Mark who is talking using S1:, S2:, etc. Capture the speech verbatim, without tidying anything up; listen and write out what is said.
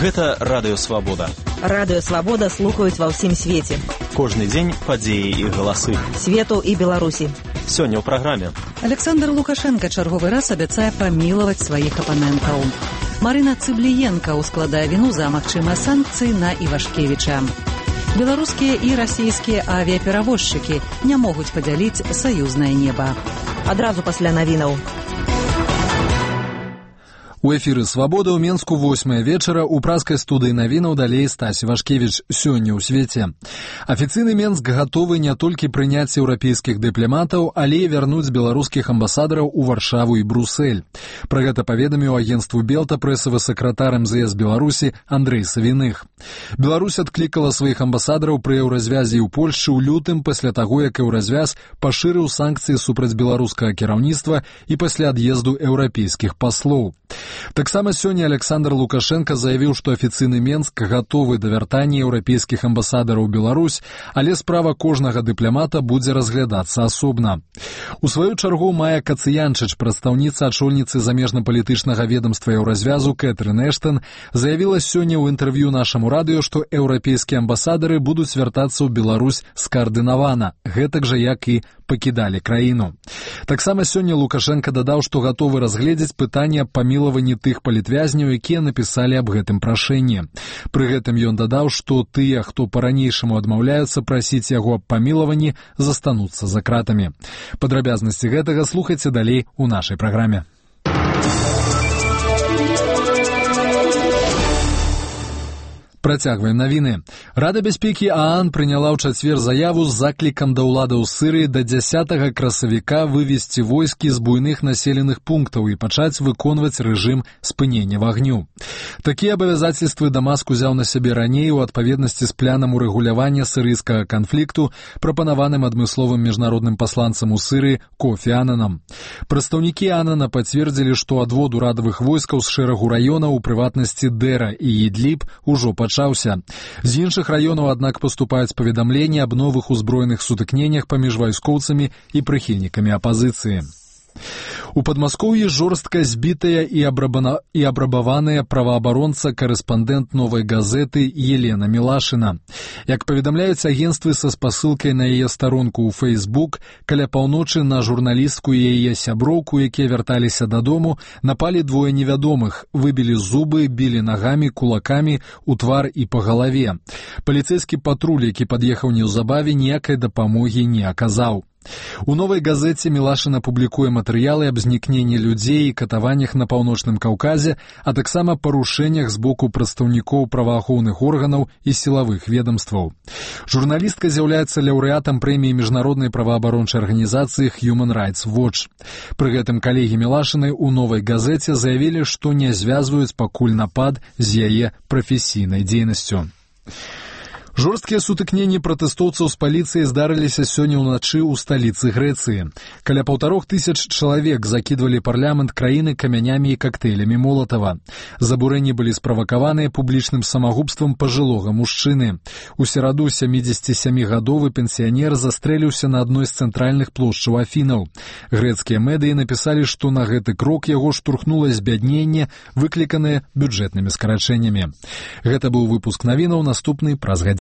S1: Гэта Радыё Свабода.
S2: Радыё Свабода слухаюць ва ўсім свеце.
S1: Кожны дзень падзеі і галасы.
S2: Свету і Беларусі.
S1: Сёння ў праграме.
S3: Александр Лукашенко чарговы раз абяцае памілаваць сваіх апанентаў. Марына Цыбліенка ускладае віну за магчымыя санкцыі на Івашкевіча. Беларускія і расійскія авіаперавозчыкі не могуць падзяліць саюзнае неба.
S2: Адразу пасля навінаў.
S4: У эфіры «Свабода» ў Менску восьмая вечара, у праскай студыі навінаў далей Стась Івашкевіч. Сёння ў свеце. Афіцыйны Менск гатовы не толькі прыняць еўрапейскіх дыпламатаў, але і вярнуць беларускіх амбасадараў у Варшаву і Брусэль. Пра гэта паведаміў агенцтву Белта прэсавы сакратар эм зэ эс Беларусі Андрэй Савіных. Беларусь адклікала сваіх амбасадараў пры еўразвязе ў Польшчы ў лютым пасля таго, як еўразвяз пашырыў санкцыі супраць беларускага кіраўніцтва і пасля ад'езду еўрапейскіх паслоў. Таксама сёння Александр Лукашенко заявіў, што афіцыйны Менск гатовы да вяртання еўрапейскіх амбасадараў у Беларусь, але справа кожнага дыпламата будзе разглядацца асобна. У сваю чаргу Майя Кацыянчыч, прадстаўніца ачольніцы замежна-палітычнага ведамства еўразвязу Кэтрын Эштон, заявіла сёння ў інтэрв'ю нашаму радыё, што еўрапейскія амбасадары будуць вяртацца ў Беларусь скаардынавана, гэтак жа як і пакідалі краіну. Таксама сёння Лукашенко дадаў, што гатовы разгледзець пытанне аб памілаванні тых палітвязняў, якія напісалі аб гэтым прашэнні. Пры гэтым ён дадаў, што тыя, хто па-ранейшаму адмаўляюцца прасіць яго аб памілаванні, застануцца за кратамі. Падрабязнасці гэтага слухайце далей у нашай праграме. Працягваем навіны. Рада бяспекі ААН прыняла ў чацвер заяву з заклікам да ўладаў Сырыі да дзясятага красавіка вывесці войскі з буйных населеных пунктаў і пачаць выконваць рэжым спынення вагню. Такія абавязацельствы Дамаск узяў на сябе раней у адпаведнасці з планам урэгулявання сырыйскага канфлікту, прапанаваным адмысловым міжнародным пасланцам у Сырыі Кофі Ананам. Прадстаўнікі Анана пацвердзілі, што адвод урадавых войскаў з шэрагу раёнаў, у прыватнасці Дэра і Ідліб, ужо пачаўся. З іншых раёнаў, аднак, паступаюць паведамленні аб новых узброеных сутыкненнях паміж вайскоўцамі і прыхільнікамі апазіцыі. У Падмаскоўі жорстка збітая і, абрабана... і абрабаваная праваабаронца-карэспандэнт «Новай газеты» Елена Мілашына. Як паведамляюць агенцтвы са спасылкай на яе старонку ў Фейсбук, каля паўночы на журналістку і яе сяброўку, якія вярталіся дадому, напалі двое невядомых, выбілі зубы, білі нагамі, кулакамі у твар і па галаве. Паліцэйскі патруль, які пад'ехаў неўзабаве, ніякай дапамогі не аказаў. У «Новай газеце» Мілашына публікуе матэрыялы аб знікненні людзей і катаваннях на паўночным Каўказе, а таксама парушэннях з боку прадстаўнікоў праваахоўных органаў і сілавых ведамстваў. Журналістка з'яўляецца лаўрэатам прэміі міжнароднай праваабарончай арганізацыі Human Rights Watch. Пры гэтым калегі Мілашынай у «Новай газеце» заявілі, што не звязваюць пакуль напад з яе прафесійнай дзейнасцю. Жорсткія сутыкненні пратэстоўцаў з паліцыяй здарыліся сёння ўначы ў сталіцы Грэцыі. Каля паўтарох тысяч чалавек закідвалі парламент краіны камянямі і кактэйлямі Молатава. Забурэнні былі справакаваныя публічным самагубствам пажылога мужчыны. У сераду сямідзесяцісямігадовы пенсіянер застрэліўся на адной з цэнтральных плошчаў Афінаў. Грэцкія медыі напісалі, што на гэты крок яго штурхнула збядненне, выкліканае бюджэтнымі скарачэннямі. Гэта быў выпуск навінаў, наступны праз гадзіну.